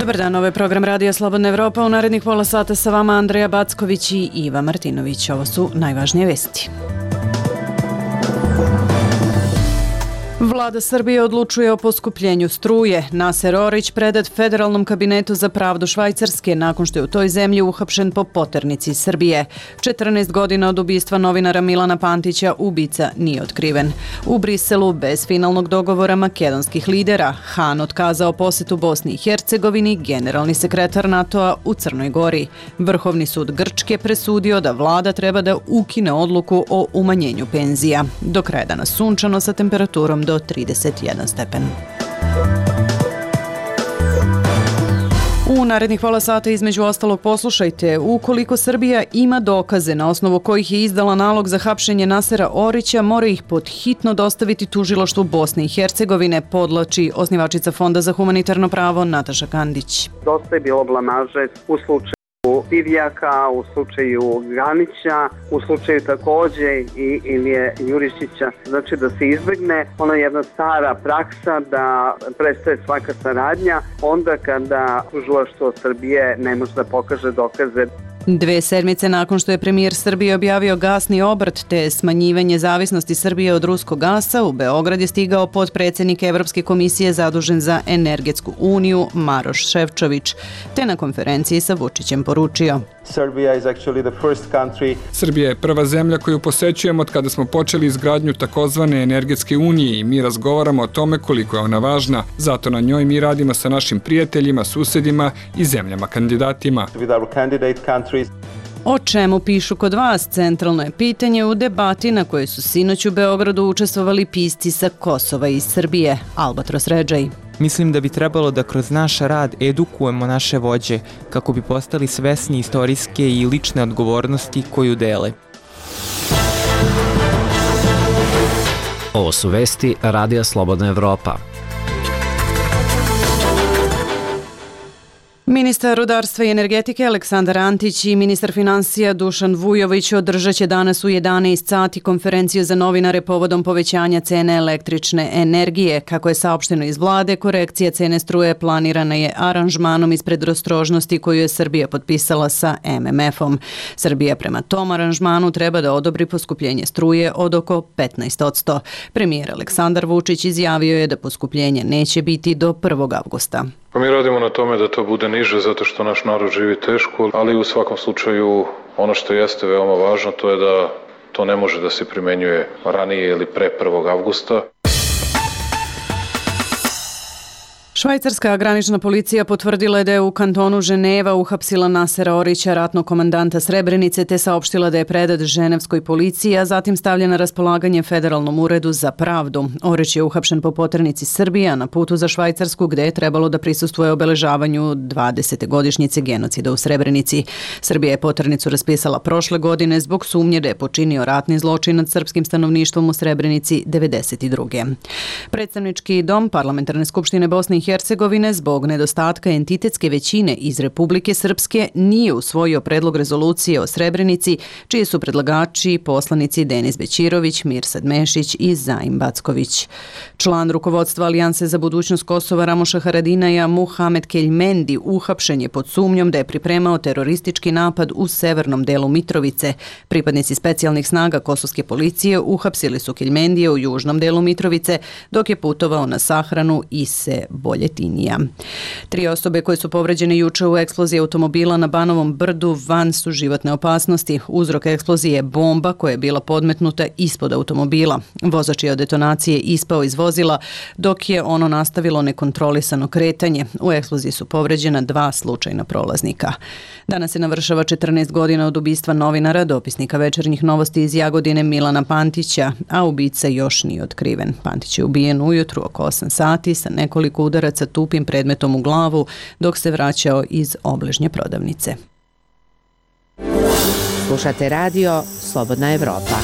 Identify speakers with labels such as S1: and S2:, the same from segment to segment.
S1: Dobar dan, ovo je program Radija Slobodna Evropa. U narednih pola sata sa vama Andreja Backović i Iva Martinović. Ovo su najvažnije vesti. Vlada Srbije odlučuje o poskupljenju struje. Naser Orić predat Federalnom kabinetu za pravdu Švajcarske nakon što je u toj zemlji uhapšen po poternici Srbije. 14 godina od ubistva novinara Milana Pantića ubica nije otkriven. U Briselu, bez finalnog dogovora makedonskih lidera, Han otkazao posetu Bosni i Hercegovini, generalni sekretar NATO-a u Crnoj Gori. Vrhovni sud Grčke presudio da vlada treba da ukine odluku o umanjenju penzija. Do kraja dana sunčano sa temperaturom do 31 stepen. U narednih pola sata između ostalog poslušajte: ukoliko Srbija ima dokaze na osnovu kojih je izdala nalog za hapšenje Nasera Orića, mora ih podhitno dostaviti tužilaštvu Bosne i Hercegovine, podlači osnivačica Fonda za humanitarno pravo Nataša Kandić.
S2: Dosta je bilo blamaže u slučaju Divjaka, u slučaju Ganića, u slučaju takođe i Ilije Jurišića. Znači da se izbegne ona jedna stara praksa da prestaje svaka saradnja onda kada tužilaštvo Srbije ne može da pokaže dokaze.
S1: 2 sedmice nakon što je premijer Srbije objavio gasni obrt te smanjivanje zavisnosti Srbije od ruskog gasa, u Beograd je stigao potpredsednik Evropske komisije zadužen za energetsku uniju Maroš Šefčović, te na konferenciji sa Vučićem poručio:
S3: Srbija je prva zemlja koju posećujemo od kada smo počeli izgradnju takozvane energetske unije i mi razgovaramo o tome koliko je ona važna. Zato na njoj mi radimo sa našim prijateljima, susedima i zemljama kandidatima.
S1: O čemu pišu kod vas? Centralno je pitanje u debati na kojoj su sinoć u Beogradu učestvovali pisci sa Kosova i Srbije. Albatros Redžaj.
S4: Mislim da bi trebalo da kroz naš rad edukujemo naše vođe kako bi postali svesni istorijske i lične odgovornosti koju dele.
S5: Ovo su vesti Radija Slobodna Evropa.
S1: Ministar rudarstva i energetike Aleksandar Antić i ministar finansija Dušan Vujović održat će danas u 11 sati konferenciju za novinare povodom povećanja cene električne energije. Kako je saopšteno iz vlade, korekcija cene struje planirana je aranžmanom iz predostrožnosti koju je Srbija potpisala sa MMF-om. Srbija prema tom aranžmanu treba da odobri poskupljenje struje od oko 15%. Premijer Aleksandar Vučić izjavio je da poskupljenje neće biti do 1. avgusta.
S6: Pa mi radimo na tome da to bude niže zato što naš narod živi teško, ali u svakom slučaju ono što jeste veoma važno to je da to ne može da se primenjuje ranije ili pre 1. avgusta.
S1: Švajcarska granična policija potvrdila je da je u kantonu Ženeva uhapsila Nasera Orića, ratnog komandanta Srebrenice, te saopštila da je predat ženevskoj policiji, a zatim stavljen na raspolaganje Federalnom uredu za pravdu. Orić je uhapšen po poternici Srbije, a na putu za Švajcarsku, gde je trebalo da prisustvuje obeležavanju 20. godišnjice genocida u Srebrenici. Srbija je poternicu raspisala prošle godine zbog sumnje da je počinio ratni zločin nad srpskim stanovništvom u Srebrenici 1992. Predstavnički dom Parlamentarne skupštine Bosne i Hercegovine zbog nedostatka entitetske većine iz Republike Srpske nije usvojio predlog rezolucije o Srebrenici, čiji su predlagači poslanici Denis Bećirović, Mirsad Mešić i Zaim Backović. Član rukovodstva Alijanse za budućnost Kosova Ramoša Haradinaja Muhamed Keljmendi uhapšen je pod sumnjom da je pripremao teroristički napad u severnom delu Mitrovice. Pripadnici specijalnih snaga kosovske policije uhapsili su Keljmendije u južnom delu Mitrovice dok je putovao na sahranu Ise Boljetinija. 3 osobe koje su povređene juče u eksploziji automobila na Banovom brdu van su životne opasnosti. Uzrok eksplozije je bomba koja je bila podmetnuta ispod automobila. Vozač je od detonacije ispao iz vozila dok je ono nastavilo nekontrolisano kretanje. U eksploziji su povređena 2 slučajna prolaznika. Danas se navršava 14 godina od ubistva novinara, dopisnika Večernjih novosti iz Jagodine Milana Pantića, a ubica još nije otkriven. Pantić je ubijen ujutru oko 8 sati sa nekoliko udaraca tupim predmetom u glavu dok se vraćao iz obližnje prodavnice.
S7: Slušate radio Slobodna Evropa.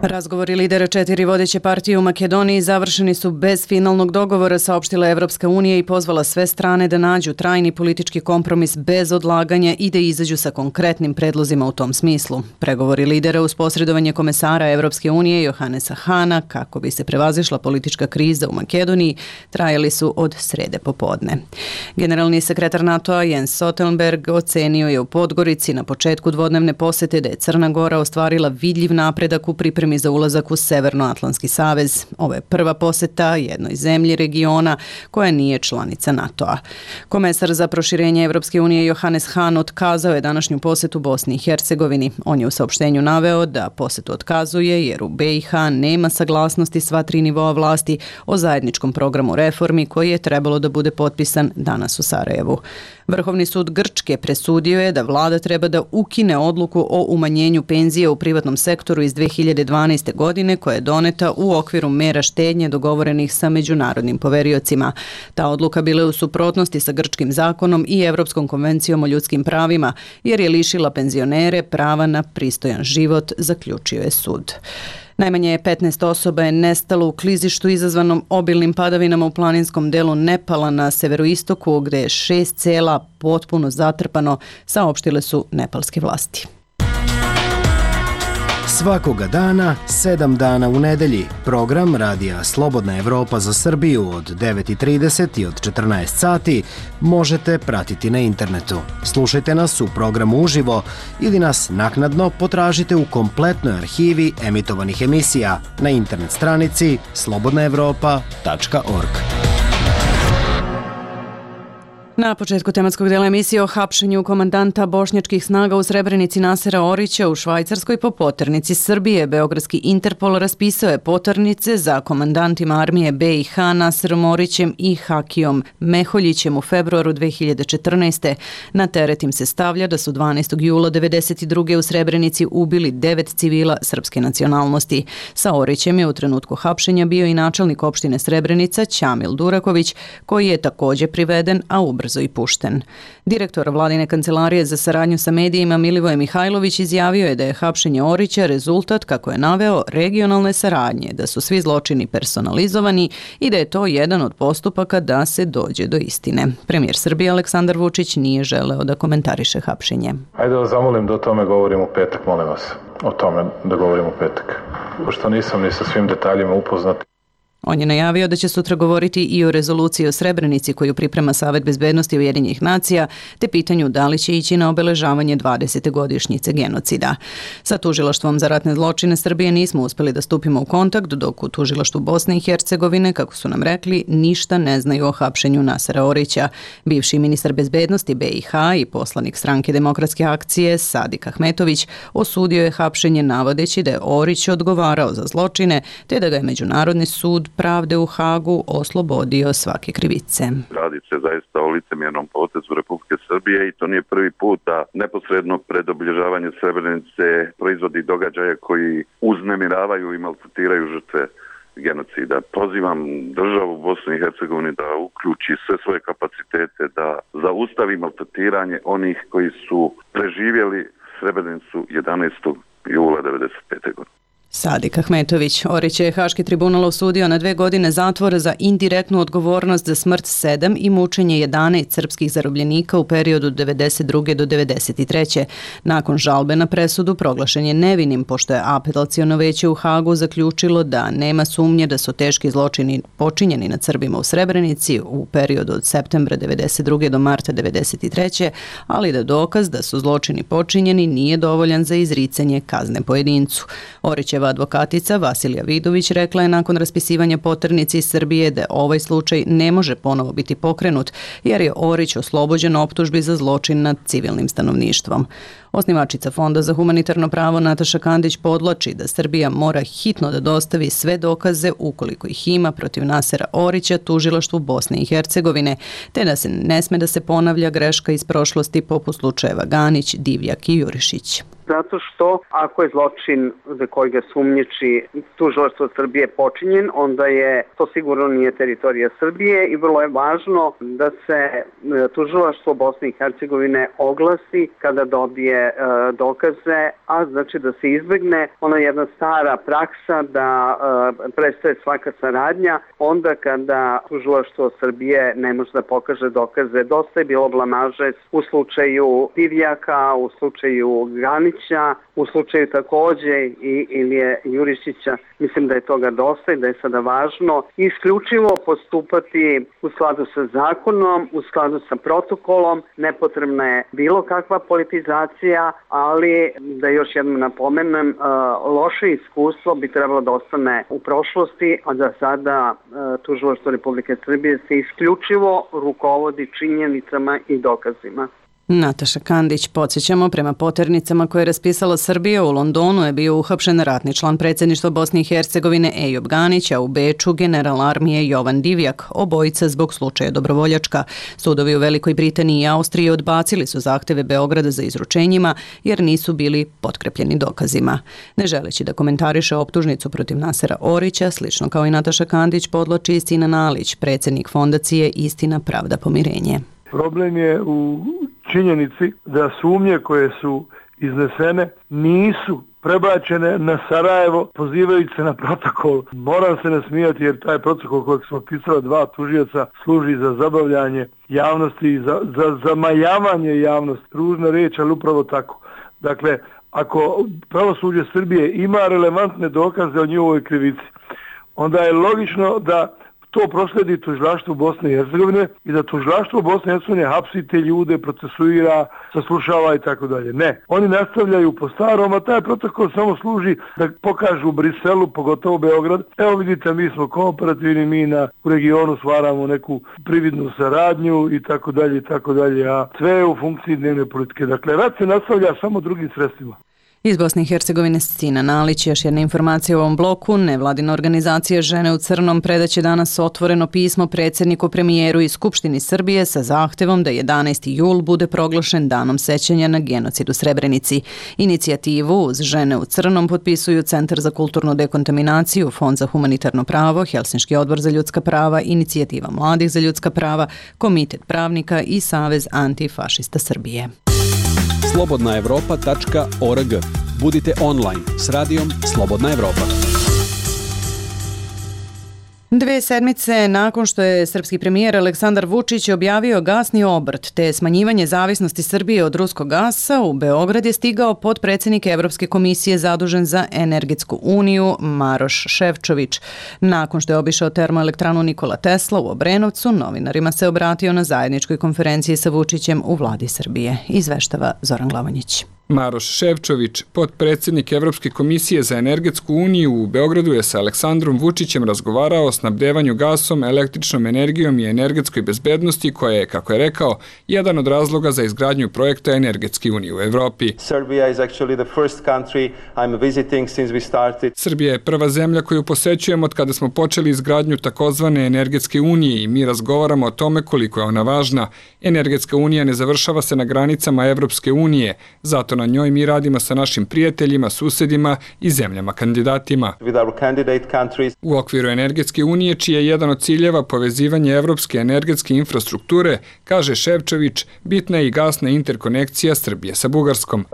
S1: Razgovori lidera 4 vodeće partije u Makedoniji završeni su bez finalnog dogovora, saopštila Evropska unija i pozvala sve strane da nađu trajni politički kompromis bez odlaganja i da izađu sa konkretnim predlozima u tom smislu. Pregovori lidera uz posredovanje komesara Evropske unije Johannesa Hana kako bi se prevazišla politička kriza u Makedoniji trajali su od srede popodne. Generalni sekretar NATO-a Jens Stoltenberg ocenio je u Podgorici na početku dvodnevne posete da je Crna Gora ostvarila vidljiv napredak u pripremi za ulazak u Severnoatlantski savez. Ovo je prva poseta jednoj zemlji regiona koja nije članica NATO-a. Komesar za proširenje Evropske unije Johannes Hahn otkazao je današnju posetu Bosni i Hercegovini. On je u saopštenju naveo da posetu otkazuje jer u BiH nema saglasnosti sva 3 nivoa vlasti o zajedničkom programu reformi koji je trebalo da bude potpisan danas u Sarajevu. Vrhovni sud Grčke presudio je da vlada treba da ukine odluku o umanjenju penzije u privatnom sektoru iz 2012. godine koja je doneta u okviru mera štednje dogovorenih sa međunarodnim poveriocima. Ta odluka bila je u suprotnosti sa grčkim zakonom i Evropskom konvencijom o ljudskim pravima jer je lišila penzionere prava na pristojan život, zaključio je sud. Najmanje 15 osoba je nestalo u klizištu izazvanom obilnim padavinama u planinskom delu Nepala na severoistoku gdje je 6 sela potpuno zatrpano, saopštile su nepalske vlasti.
S7: Svakoga dana, 7 dana u nedelji, program Radija Slobodna Evropa za Srbiju od 9:30 i od 14 sati možete pratiti na internetu. Slušajte nas u programu uživo ili nas naknadno potražite u kompletnoj arhivi emitovanih emisija na internet stranici slobodnaevropa.org.
S1: Na početku tematskog dela emisije o hapšenju komandanta bošnjačkih snaga u Srebrenici Nasera Orića u Švajcarskoj po poternici Srbije. Beogradski Interpol raspisao je poternice za komandantima armije BiH Naserom Orićem i Hakijom Meholjićem u februaru 2014. Na teret im se stavlja da su 12. jula 1992. u Srebrenici ubili 9 civila srpske nacionalnosti. Sa Orićem je u trenutku hapšenja bio i načelnik opštine Srebrenica Ćamil Duraković, koji je također priveden, a ubrzo i pušten. Direktor vladine kancelarije za saradnju sa medijima Milivoje Mihajlović izjavio je da je hapšenje Orića rezultat, kako je naveo, regionalne saradnje, da su svi zločini personalizovani i da je to jedan od postupaka da se dođe do istine. Premijer Srbije Aleksandar Vučić nije želeo da komentariše hapšenje.
S6: Ajde da zamolim da o tome govorimo u petak, molim vas. O tome da govorimo u petak. Pošto nisam ni sa svim detaljima upoznat.
S1: On je najavio da će sutra govoriti i o rezoluciji o Srebrenici koju priprema Savet bezbednosti Ujedinjenih nacija, te pitanju da li će ići na obeležavanje 20. godišnjice genocida. Sa Tužilaštvom za ratne zločine Srbije nismo uspeli da stupimo u kontakt, dok u Tužilaštvu Bosne i Hercegovine, kako su nam rekli, ništa ne znaju o hapšenju Nasera Orića. Bivši ministar bezbednosti BiH i poslanik Stranke demokratske akcije Sadik Ahmetović osudio je hapšenje navodeći da je Orić odgovarao za zločine, te da ga je Međunarodni sud pravde u Hagu oslobodio svake krivice.
S8: Radi se zaista o licemjernom potezu Republike Srbije i to nije prvi put da neposredno pred obilježavanje Srebrenice proizvodi događaje koji uznemiravaju i maltretiraju žrtve genocida. Pozivam državu Bosnu i Hercegovini da uključi sve svoje kapacitete, da zaustavi maltretiranje onih koji su preživjeli Srebrenicu 11. jula 1995. godine.
S1: Sadik Ahmetović. Orić je Haški tribunal osudio na 2 godine zatvora za indirektnu odgovornost za smrt 7 i mučenje 11 srpskih zarobljenika u periodu 92. do 93. Nakon žalbe na presudu proglašen je nevinim, pošto je apelaciono veće u Hagu zaključilo da nema sumnje da su teški zločini počinjeni nad Srbima u Srebrenici u periodu od septembra 92. do marta 93. ali da dokaz da su zločini počinjeni nije dovoljan za izricanje kazne pojedincu. Orićeva advokatica Vasilija Vidović rekla je nakon raspisivanja poternice iz Srbije da ovaj slučaj ne može ponovo biti pokrenut jer je Orić oslobođen optužbi za zločin nad civilnim stanovništvom. Osnivačica Fonda za humanitarno pravo Nataša Kandić podlači da Srbija mora hitno da dostavi sve dokaze ukoliko ih ima protiv Nasera Orića Tužilaštvu Bosne i Hercegovine, te da se ne sme da se ponavlja greška iz prošlosti poput slučajeva Ganić, Divjak i Jurišić.
S2: zato što ako je zločin za koji ga sumnjiči tužilaštvo Srbije počinjen, onda je to sigurno nije teritorija Srbije i vrlo je važno da se tužilaštvo Bosne i Hercegovine oglasi kada dobije dokaze, a znači da se izbegne ona jedna stara praksa da prestaje svaka saradnja onda kada tužilaštvo Srbije ne može da pokaže dokaze. Dosta je bilo blamaže u slučaju Divjaka, u slučaju Granića, u slučaju takođe i Ilije Jurišića. Mislim da je toga dosta i da je sada važno isključivo postupati u skladu sa zakonom, u skladu sa protokolom. Nepotrebna je bilo kakva politizacija, ali da još jednom napomenem, loše iskustvo bi trebalo da ostane u prošlosti, a da sada tužilaštvo Republike Srbije se isključivo rukovodi činjenicama i dokazima.
S1: Nataša Kandić, podsjećamo, prema poternicama koje je raspisala Srbija, u Londonu je bio uhapšen ratni član predsjedništva Bosne i Hercegovine Ejub Ganić, a u Beču general armije Jovan Divjak, obojica zbog slučaja Dobrovoljačka. Sudovi u Velikoj Britaniji i Austriji odbacili su zahteve Beograda za izručenjima jer nisu bili potkrepljeni dokazima. Ne želeći da komentariše optužnicu protiv Nasera Orića, slično kao i Nataša Kandić, podloči i Sinan Alić, predsjednik fondacije Istina, pravda, pomirenje.
S9: Problem je u činjenici da sumnje koje su iznesene nisu prebačene na Sarajevo pozivajući se na protokol. Moram se nasmijati jer taj protokol kojeg smo pisali 2 tužioca služi za zabavljanje javnosti i za zamajavanje javnosti. Ružna riječ, ali upravo tako. Dakle, ako pravosuđe Srbije ima relevantne dokaze o njihovoj krivici, onda je logično da to prosledi tužilaštvu Bosne i Hercegovine i da tužilaštvo Bosne i Hercegovine hapsi te ljude, procesuira, saslušava i tako dalje. Ne, oni nastavljaju po starom, a taj protokol samo služi da pokažu u Briselu, pogotovo Beograd. Evo vidite, mi smo kooperativni, mi u regionu stvaramo neku prividnu saradnju i tako dalje, a sve je u funkciji dnevne politike. Dakle, rat se nastavlja samo drugim sredstvima.
S1: Iz Bosne i Hercegovine Sinan Alić, još jedna informacija u ovom bloku. Nevladina organizacija Žene u crnom predaće danas otvoreno pismo predsjedniku, premijeru i Skupštini Srbije sa zahtevom da 11. jul bude proglašen danom sećanja na genocid u Srebrenici. Inicijativu uz Žene u crnom potpisuju Centar za kulturnu dekontaminaciju, Fond za humanitarno pravo, Helsinški odbor za ljudska prava, Inicijativa mladih za ljudska prava, Komitet pravnika i Savez antifašista Srbije.
S10: slobodnaevropa.org. Budite online s radijom Slobodna Evropa.
S1: 2 sedmice nakon što je srpski premijer Aleksandar Vučić objavio gasni obrt te smanjivanje zavisnosti Srbije od ruskog gasa, u Beograd je stigao potpredsjednik Evropske komisije zadužen za energetsku uniju Maroš Šefčović. Nakon što je obišao termoelektranu Nikola Tesla u Obrenovcu, novinarima se obratio na zajedničkoj konferenciji sa Vučićem u vladi Srbije. Izveštava Zoran Glavonjić.
S3: Maroš Šefčović, potpredsjednik Evropske komisije za energetsku uniju, u Beogradu je sa Aleksandrom Vučićem razgovarao o snabdevanju gasom, električnom energijom i energetskoj bezbednosti, koja je, kako je rekao, jedan od razloga za izgradnju projekta energetske unije u Evropi. Srbija je prva zemlja koju posećujemo od kada smo počeli izgradnju takozvane energetske unije i mi razgovaramo o tome koliko je ona važna. Energetska unija ne završava se na granicama Evropske unije, zato na njoj mi radimo sa našim prijateljima, susedima i zemljama kandidatima. U okviru energetske unije, čiji je jedan od ciljeva povezivanje evropske energetske infrastrukture, kaže Šefčović, bitna je i gasna interkonekcija Srbije sa Bugarskom.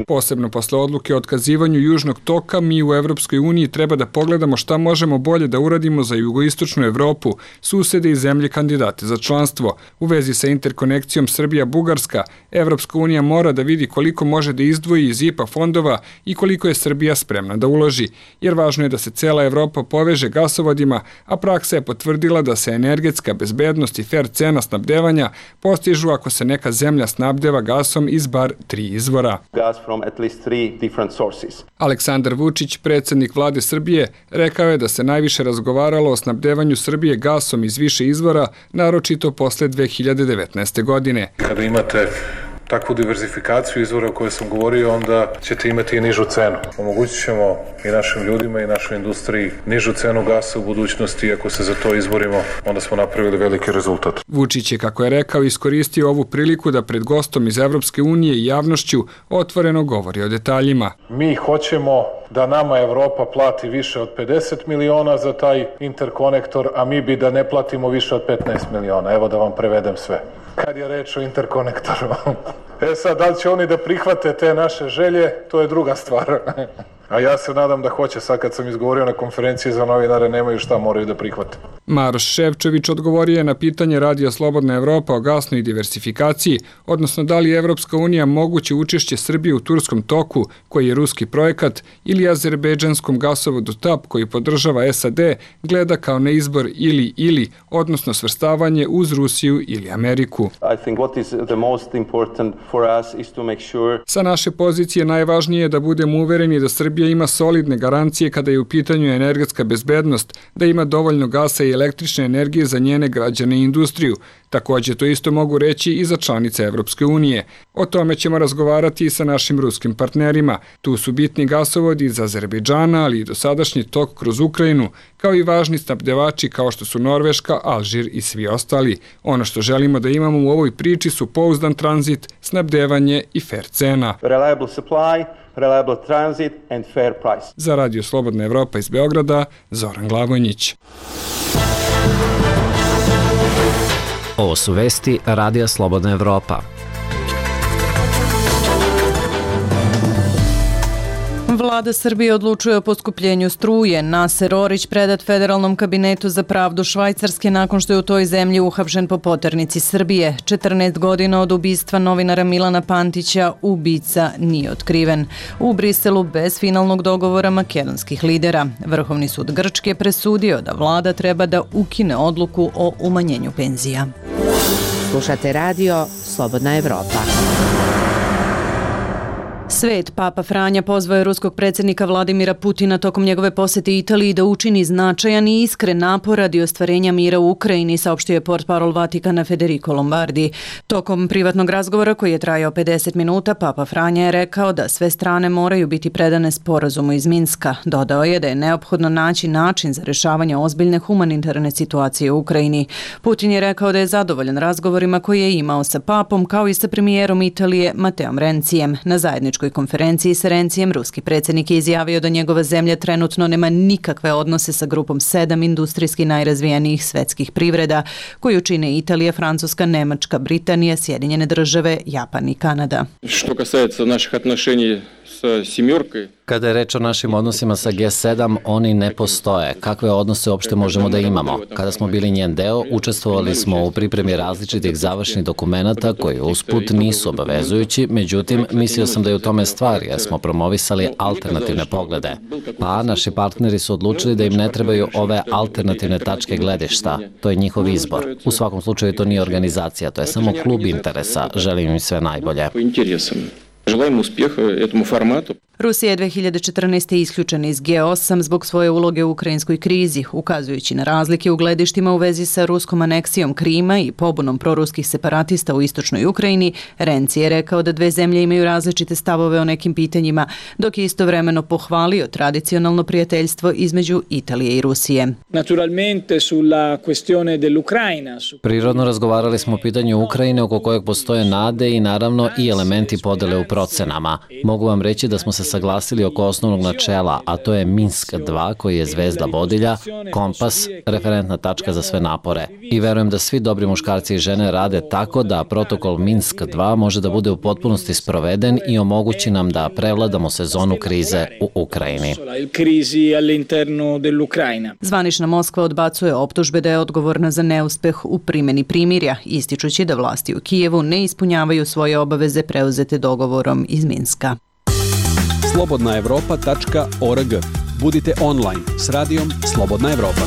S3: Posebno posle odluke o otkazivanju Južnog toka, mi u Evropskoj uniji treba da pogledamo šta možemo bolje da uradimo za jugoistočnu Evropu, susede i zemlje kandidate za članstvo. U vezi sa interkonekcijom Srbija-Bugarska, Evropska unija mora da vidi koliko može da izdvoji iz IPA fondova i koliko je Srbija spremna da uloži, jer važno je da se cela Evropa poveže gasovodima, a praksa je potvrdila da se energetska bezbednost i fer cena snabdevanja postižu ako se neka zemlja snabdeva gasom iz bar 3 izvora. Aleksandar Vučić, predsjednik vlade Srbije, rekao je da se najviše razgovaralo o snabdevanju Srbije gasom iz više izvora, naročito posle 2019. godine.
S6: Kada imate takvu diverzifikaciju izvora o kojoj sam govorio, onda ćete imati i nižu cenu. Omogućit ćemo i našim ljudima i našoj industriji nižu cenu gasa u budućnosti i ako se za to izborimo, onda smo napravili veliki rezultat.
S3: Vučić je, kako je rekao, iskoristio ovu priliku da pred gostom iz Evropske unije i javnošću otvoreno govori o detaljima.
S6: Mi hoćemo da nama Evropa plati više od 50 miliona za taj interkonektor, a mi bi da ne platimo više od 15 miliona. Evo da vam prevedem sve. Kad je reč o interkonektoru. Sad, da li će oni da prihvate te naše želje, to je druga stvar. A ja se nadam da hoće. Sad kad sam izgovorio na konferenciji za novinare, nemaju šta, moraju da prihvate.
S3: Maroš Ševčević odgovorio je na pitanje Radija Slobodna Evropa o gasnoj diversifikaciji, odnosno da li je Evropska unija moguće učešće Srbije u Turskom toku, koji je ruski projekat, ili azerbejdžanskom gasovodu TAP, koji podržava SAD, gleda kao na izbor ili, odnosno svrstavanje uz Rusiju ili Ameriku. Sa naše pozicije najvažnije je da budemo uvereni da Srbija ima solidne garancije kada je u pitanju energetska bezbednost, da ima dovoljno gasa i električne energije za njene građane i industriju. Takođe, to isto mogu reći i za članice Evropske unije. O tome ćemo razgovarati i sa našim ruskim partnerima. Tu su bitni gasovodi iz Azerbejdžana, ali i dosadašnji tok kroz Ukrajinu, kao i važni snabdevači kao što su Norveška, Alžir i svi ostali. Ono što želimo da imamo u ovoj priči su pouzdan tranzit, snabdevanje i fair cena.
S11: Reliable supply, reliable transit and fair price.
S3: Za Radio Slobodna Evropa iz Beograda, Zoran Glavonjić.
S5: Ovo su vesti Radija Slobodna Evropa.
S1: Vlada Srbije odlučuje o poskupljenju struje. Naser Orić predat Federalnom kabinetu za pravdu Švajcarske nakon što je u toj zemlji uhapšen po poternici Srbije. 14 godina od ubistva novinara Milana Pantića ubica nije otkriven. U Briselu bez finalnog dogovora makedonskih lidera. Vrhovni sud Grčke presudio da vlada treba da ukine odluku o umanjenju penzija.
S12: Slušate radio Slobodna Evropa.
S1: Svet, Papa Franja pozvao je ruskog predsjednika Vladimira Putina tokom njegove posete Italiji da učini značajan i iskren napor radi ostvarenja mira u Ukrajini, saopštio je portparol Vatikana Federico Lombardi. Tokom privatnog razgovora koji je trajao 50 minuta, Papa Franja je rekao da sve strane moraju biti predane sporazumu iz Minska. Dodao je da je neophodno naći način za rješavanje ozbiljne humanitarne situacije u Ukrajini. Putin je rekao da je zadovoljan razgovorima koje je imao sa papom kao i sa premijerom Italije Mateom Rencijem. Na zajedničkoj konferenciji sa Rencijem ruski predsjednik je izjavio da njegova zemlja trenutno nema nikakve odnose sa grupom 7 industrijski najrazvijenijih svetskih privreda koju čine Italija, Francuska, Nemačka, Britanija, Sjedinjene države, Japan i Kanada.
S13: Što kасается naših отношений sa семеркой.
S5: Kada je reč o našim odnosima sa G7, oni ne postoje. Kakve odnose uopšte možemo da imamo? Kada smo bili njen deo, učestvovali smo u pripremi različitih završnih dokumenata koji usput nisu obavezujući, međutim, mislio sam da je u tome stvar jer smo promovisali alternativne poglede. Pa naši partneri su odlučili da im ne trebaju ove alternativne tačke gledišta. To je njihov izbor. U svakom slučaju to nije organizacija, to je samo klub interesa. Želim im sve najbolje.
S13: Želimo uspjeha etому formatu.
S1: Rusija je 2014. isključena iz G8 zbog svoje uloge u ukrajinskoj krizi, ukazujući na razlike u gledištima u vezi sa ruskom aneksijom Krima i pobunom proruskih separatista u istočnoj Ukrajini. Renci je rekao da dve zemlje imaju različite stavove o nekim pitanjima, dok je istovremeno pohvalio tradicionalno prijateljstvo između Italije i Rusije.
S5: Prirodno razgovarali smo o pitanju Ukrajine oko kojeg postoje nade i naravno i elementi podele u procenama. Mogu vam reći da smo se saglasili oko osnovnog načela, a to je Minsk 2 koji je zvezda vodilja, kompas, referentna tačka za sve napore. I verujem da svi dobri muškarci i žene rade tako da protokol Minsk 2 može da bude u potpunosti sproveden i omogući nam da prevladamo sezonu krize u Ukrajini.
S1: Zvanična Moskva odbacuje optužbe da je odgovorna za neuspeh u primjeni primirja, ističući da vlasti u Kijevu ne ispunjavaju svoje obaveze preuzete dogovorom iz Minska.
S10: slobodnaevropa.org. Budite online s radijom Slobodna Evropa.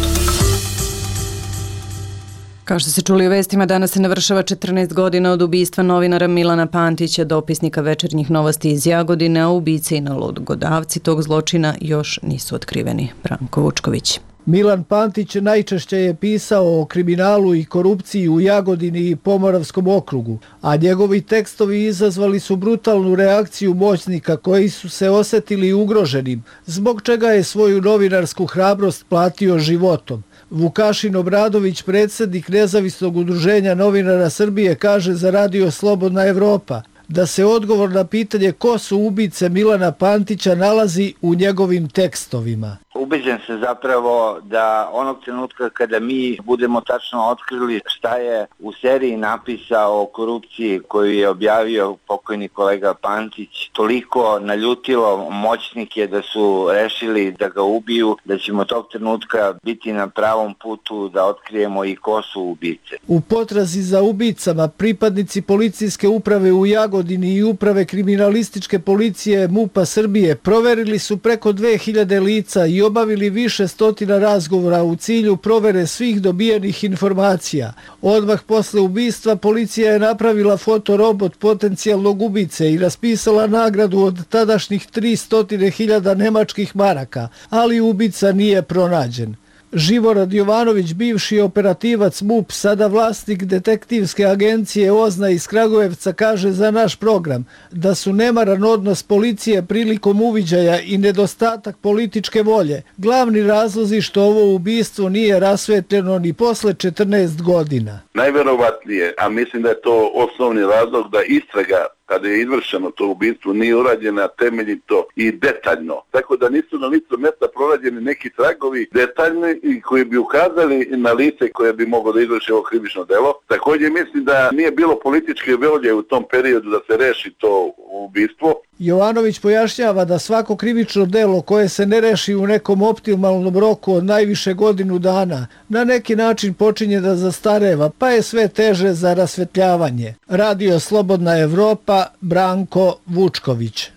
S1: Kao što se čuli u vestima, danas se navršava 14 godina od ubistva novinara Milana Pantića, dopisnika Večernjih novosti iz Jagodine, a ubice i nalogodavci tog zločina još nisu otkriveni. Branko Vučković.
S14: Milan Pantić najčešće je pisao o kriminalu i korupciji u Jagodini i Pomoravskom okrugu, a njegovi tekstovi izazvali su brutalnu reakciju moćnika koji su se osetili ugroženim, zbog čega je svoju novinarsku hrabrost platio životom. Vukašin Obradović, predsjednik Nezavisnog udruženja novinara Srbije, kaže za Radio Slobodna Evropa da se odgovor na pitanje ko su ubice Milana Pantića nalazi u njegovim tekstovima.
S15: Ubeđen se zapravo da onog trenutka kada mi budemo tačno otkrili šta je u seriji napisao o korupciji koju je objavio pokojni kolega Pantić, toliko naljutilo moćnike da su rešili da ga ubiju, da ćemo tog trenutka biti na pravom putu da otkrijemo i ko su ubice.
S14: U potrazi za ubicama pripadnici policijske uprave u Jagodini i uprave kriminalističke policije MUP-a Srbije proverili su preko 2000 lica i obavili više stotina razgovora u cilju provere svih dobijenih informacija. Odmah posle ubistva policija je napravila fotorobot potencijalnog ubice i raspisala nagradu od tadašnjih 300.000 nemačkih maraka, ali ubica nije pronađen. Živorad Jovanović, bivši operativac MUP, sada vlasnik detektivske agencije OZNA iz Kragujevca, kaže za naš program da su nemaran odnos policije prilikom uviđaja i nedostatak političke volje glavni razlozi što ovo ubistvo nije rasvetljeno ni posle 14 godina.
S16: Najverovatnije, a mislim da je to osnovni razlog, da istraga kada je izvršeno to ubistvo nije urađena temeljito i detaljno. Tako da nisu na licu mesta prorađeni neki tragovi detaljni i koji bi ukazali na lice koje bi moglo da izvrši ovo krivično delo. Također mislim da nije bilo političke volje u tom periodu da se reši to ubistvo.
S14: Jovanović pojašnjava da svako krivično delo koje se ne reši u nekom optimalnom roku od najviše godinu dana na neki način počinje da zastareva, pa je sve teže za rasvetljavanje. Radio Slobodna Evropa, Branko Vučković.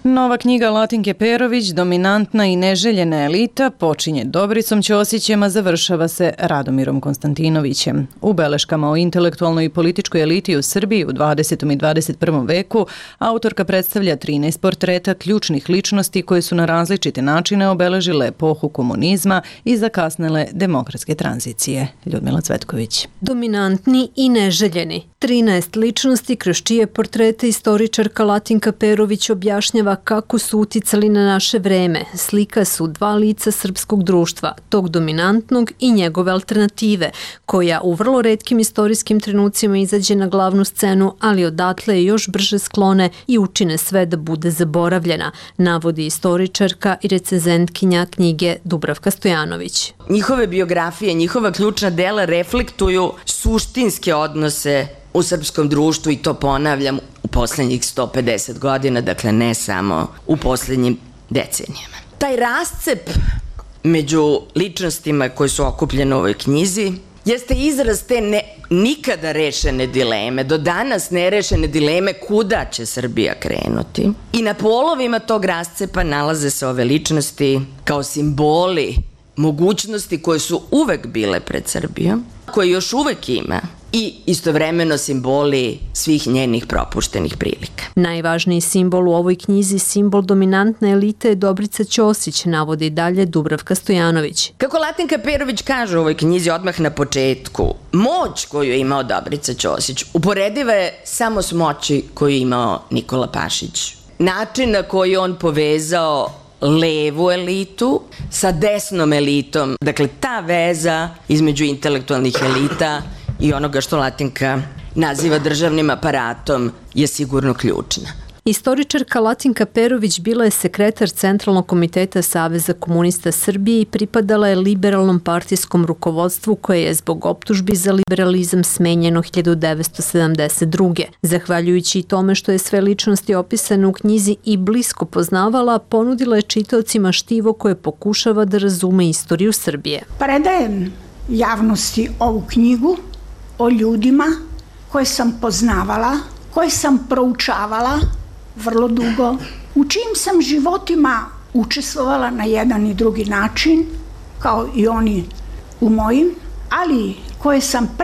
S1: Nova knjiga Latinke Perović, Dominantna i neželjena elita, počinje Dobricom Ćosićem, a završava se Radomirom Konstantinovićem. U beleškama o intelektualnoj i političkoj eliti u Srbiji u 20. i 21. veku autorka predstavlja 13 portreta ključnih ličnosti koje su na različite načine obeležile epohu komunizma i zakasnele demokratske tranzicije. Ljudmila Cvetković.
S17: Dominantni i neželjeni. 13 ličnosti kroz čije portrete istoričarka Latinka Perović objašnjava kako su uticali na naše vreme. Slika su dva lica srpskog društva, tog dominantnog i njegove alternative, koja u vrlo retkim istorijskim trenucima izađe na glavnu scenu, ali odatle je još brže sklone i učine sve da bude zaboravljena, navodi istoričarka i recenzentkinja knjige Dubravka Stojanović.
S18: Njihove biografije, njihova ključna dela reflektuju suštinske odnose u srpskom društvu i to ponavljam u poslednjih 150 godina, dakle ne samo u poslednjim decenijama. Taj rascep među ličnostima koje su okupljene u ovoj knjizi jeste izraz te nikada rešene dileme, do danas nerešene dileme kuda će Srbija krenuti. I na polovima tog rascepa nalaze se ove ličnosti kao simboli mogućnosti koje su uvek bile pred Srbijom, koje još uvek ima, i istovremeno simboli svih njenih propuštenih prilika.
S17: Najvažniji simbol u ovoj knjizi, simbol dominantne elite, je Dobrica Ćosić, navodi dalje Dubravka Stojanović.
S18: Kako Latinka Perović kaže u ovoj knjizi odmah na početku, moć koju je imao Dobrica Ćosić uporediva je samo s moći koju je imao Nikola Pašić. Način na koji on povezao levu elitu sa desnom elitom, dakle ta veza između intelektualnih elita i onoga što Latinka naziva državnim aparatom je sigurno ključna.
S17: Istoričarka Latinka Perović bila je sekretar Centralnog komiteta Saveza komunista Srbije i pripadala je liberalnom partijskom rukovodstvu koje je zbog optužbi za liberalizam smenjeno 1972. Zahvaljujući i tome što je sve ličnosti opisane u knjizi i blisko poznavala, ponudila je čitaocima štivo koje pokušava da razume istoriju Srbije.
S19: Predajem javnosti ovu knjigu o ljudima koje sam poznavala, koje sam proučavala vrlo dugo, u čijim sam životima učestvovala na jedan i drugi način, kao i oni u mojim, ali koje sam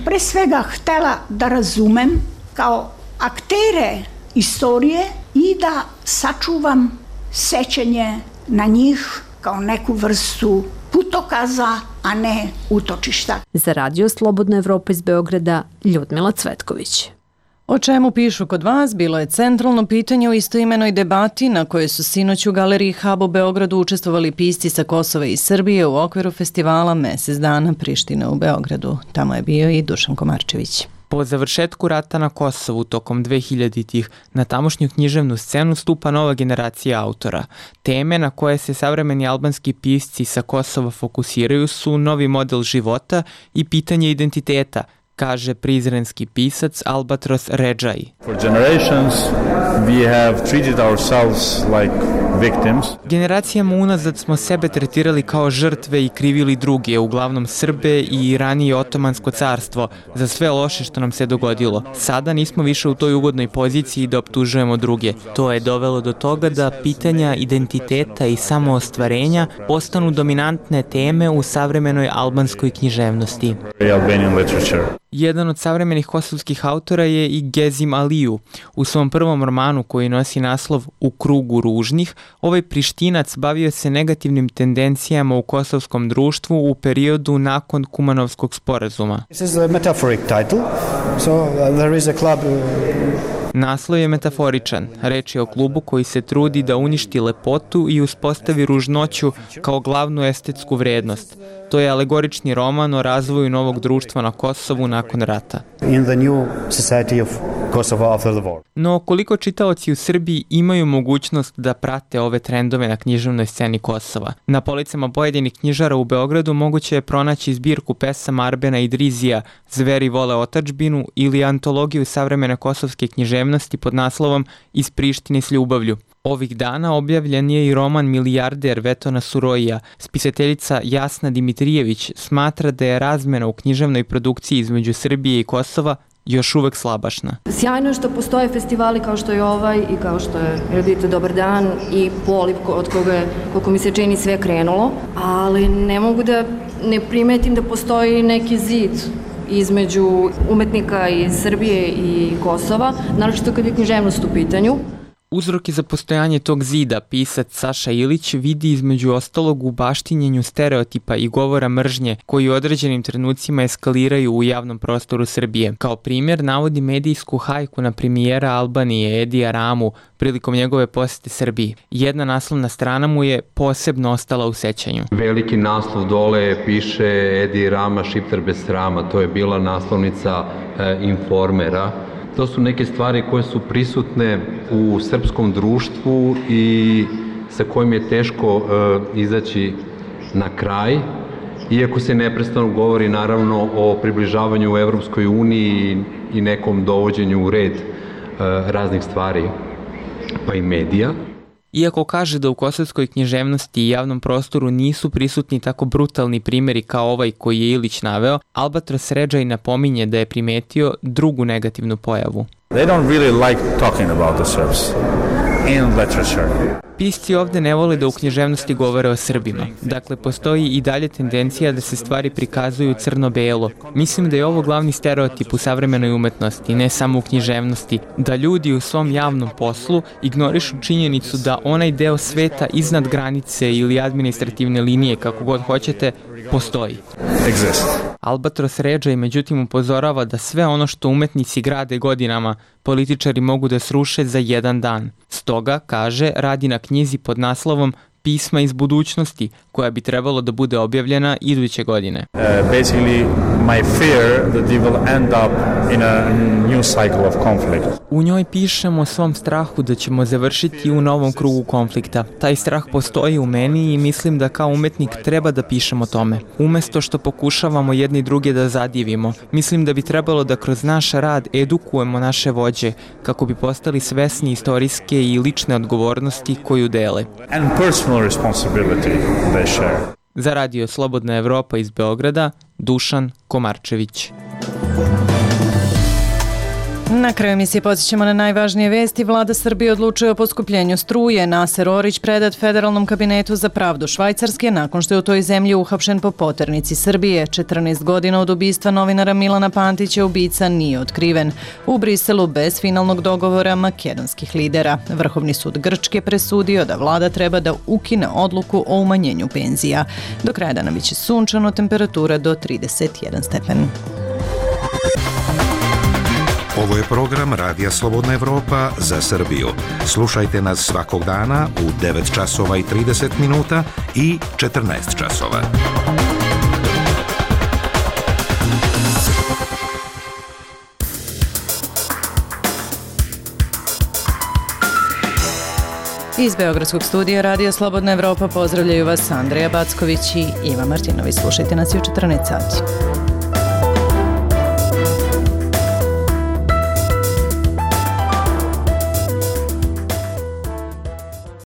S19: pre svega htela da razumem kao aktere istorije i i da sačuvam sećanje na njih kao neku vrstu putokaza, a ne utočišta.
S17: Za Radio Slobodna Evropa iz Beograda, Ljudmila Cvetković.
S1: O čemu pišu kod vas bilo je centralno pitanje u istoimenoj debati na kojoj su sinoć u Galeriji Hub u Beogradu učestvovali pisci sa Kosova i Srbije u okviru festivala Mesec dana Priština u Beogradu. Tamo je bio i Dušan Komarčević.
S4: Po završetku rata na Kosovu tokom 2000-ih na tamošnju književnu scenu stupa nova generacija autora. Teme na koje se savremeni albanski pisci sa Kosova fokusiraju su novi model života i pitanje identiteta, kaže prizrenski pisac Albatros Redžaj.
S20: For generations we have treated ourselves like victims.
S4: Generacijama unazad smo sebe tretirali kao žrtve i krivili druge, uglavnom Srbe i ranije Otomansko carstvo, za sve loše što nam se dogodilo. Sada nismo više u toj ugodnoj poziciji da optužujemo druge. To je dovelo do toga da pitanja identiteta i samoostvarenja postanu dominantne teme u savremenoj albanskoj književnosti.
S20: Albanian literature.
S4: Jedan od savremenih kosovskih autora je i Gezim Aliju. U svom prvom romanu koji nosi naslov U krugu ružnih, ovaj Prištinac bavio se negativnim tendencijama u kosovskom društvu u periodu nakon Kumanovskog sporazuma.
S21: This is a metaphoric title. So there is a club.
S4: Naslov je metaforičan. Reč je o klubu koji se trudi da uništi lepotu i uspostavi ružnoću kao glavnu estetsku vrednost. To je alegorični roman o razvoju novog društva na Kosovu nakon rata.
S21: In the new society of Kosovo after the war.
S4: No, koliko čitaoci u Srbiji imaju mogućnost da prate ove trendove na književnoj sceni Kosova? Na policama pojedinih knjižara u Beogradu moguće je pronaći zbirku pesama Arbena Idrizija Zveri vole otadžbinu ili antologiju savremene kosovske književnosti pod naslovom Iz Prištine s ljubavlju. Ovih dana objavljen je i roman Milijarder Vetona Surojija. Spisateljica Jasna Dimitrijević smatra da je razmena u književnoj produkciji između Srbije i Kosova još uvek slabašna.
S22: Sjajno je što postoje festivali kao što je ovaj i kao što je Redite Dobar dan i Poliv od koga je, koliko mi se čini, sve krenulo, ali ne mogu da ne primetim da postoji neki zid između umetnika iz Srbije i Kosova, naročito kad je književnost u pitanju.
S4: Uzroke za postojanje tog zida pisac Saša Ilić vidi između ostalog u baštinjenju stereotipa i govora mržnje koji u određenim trenucima eskaliraju u javnom prostoru Srbije. Kao primjer navodi medijsku hajku na premijera Albanije Edija Ramu prilikom njegove posete Srbiji. Jedna naslovna strana mu je posebno ostala u sećanju.
S23: Veliki naslov dole piše Edi Rama Šiptar bez srama, to je bila naslovnica Informera. To su neke stvari koje su prisutne u srpskom društvu i sa kojim je teško izaći na kraj, iako se neprestano govori naravno o približavanju u Evropskoj uniji i nekom dovođenju u red raznih stvari, pa i medija.
S4: Iako kaže da u kosovskoj književnosti i javnom prostoru nisu prisutni tako brutalni primjeri kao ovaj koji je Ilić naveo, Albatros Redžaj napominje da je primetio drugu negativnu pojavu.
S20: They don't really like talking about the Serbs in literature.
S4: Pisci ovde ne vole da u književnosti govore o Srbima. Dakle, postoji i dalje tendencija da se stvari prikazuju crno-belo. Mislim da je ovo glavni stereotip u savremenoj umetnosti, ne samo u književnosti, da ljudi u svom javnom poslu ignorišu činjenicu da onaj deo sveta iznad granice ili administrativne linije, kako god hoćete, postoji.
S20: Exist.
S4: Albatros Redžaj međutim upozorava da sve ono što umetnici grade godinama, političari mogu da sruše za jedan dan. Stoga, kaže, radi na knjizi pod naslovom Pisma iz budućnosti, koja bi trebalo da bude objavljena iduće godine.
S20: Basically, my fear that they will end up in a new cycle of conflict.
S4: U njoj pišemo o svom strahu da ćemo završiti u novom krugu konflikta. Taj strah postoji u meni i mislim da kao umetnik treba da pišemo o tome. Umesto što pokušavamo jedni druge da zadivimo, mislim da bi trebalo da kroz naš rad edukujemo naše vođe kako bi postali svesni istorijske i lične odgovornosti koju dele.
S20: And personal responsibility they share.
S4: Za Radio Slobodna Evropa iz Beograda, Dušan Komarčević.
S1: Na kraju emisije podsjećamo na najvažnije vesti. Vlada Srbije odlučuje o poskupljenju struje. Naser Orić predat Federalnom kabinetu za pravdu Švajcarske nakon što je u toj zemlji uhapšen po poternici Srbije. 14 godina od ubistva novinara Milana Pantića ubica nije otkriven. U Briselu bez finalnog dogovora makedonskih lidera. Vrhovni sud Grčke presudio da vlada treba da ukine odluku o umanjenju penzija. Do kraja dana biće sunčano, temperatura do 31 stepen.
S2: Ovo je program Radija Slobodna Evropa za Srbiju. Slušajte nas svakog dana u 9 časova i 30 minuta i 14 časova.
S1: Iz Beogradskog studija Radija Slobodna Evropa pozdravljaju vas Andreja Backović i Iva Martinović. Slušajte nas i u 14 sati.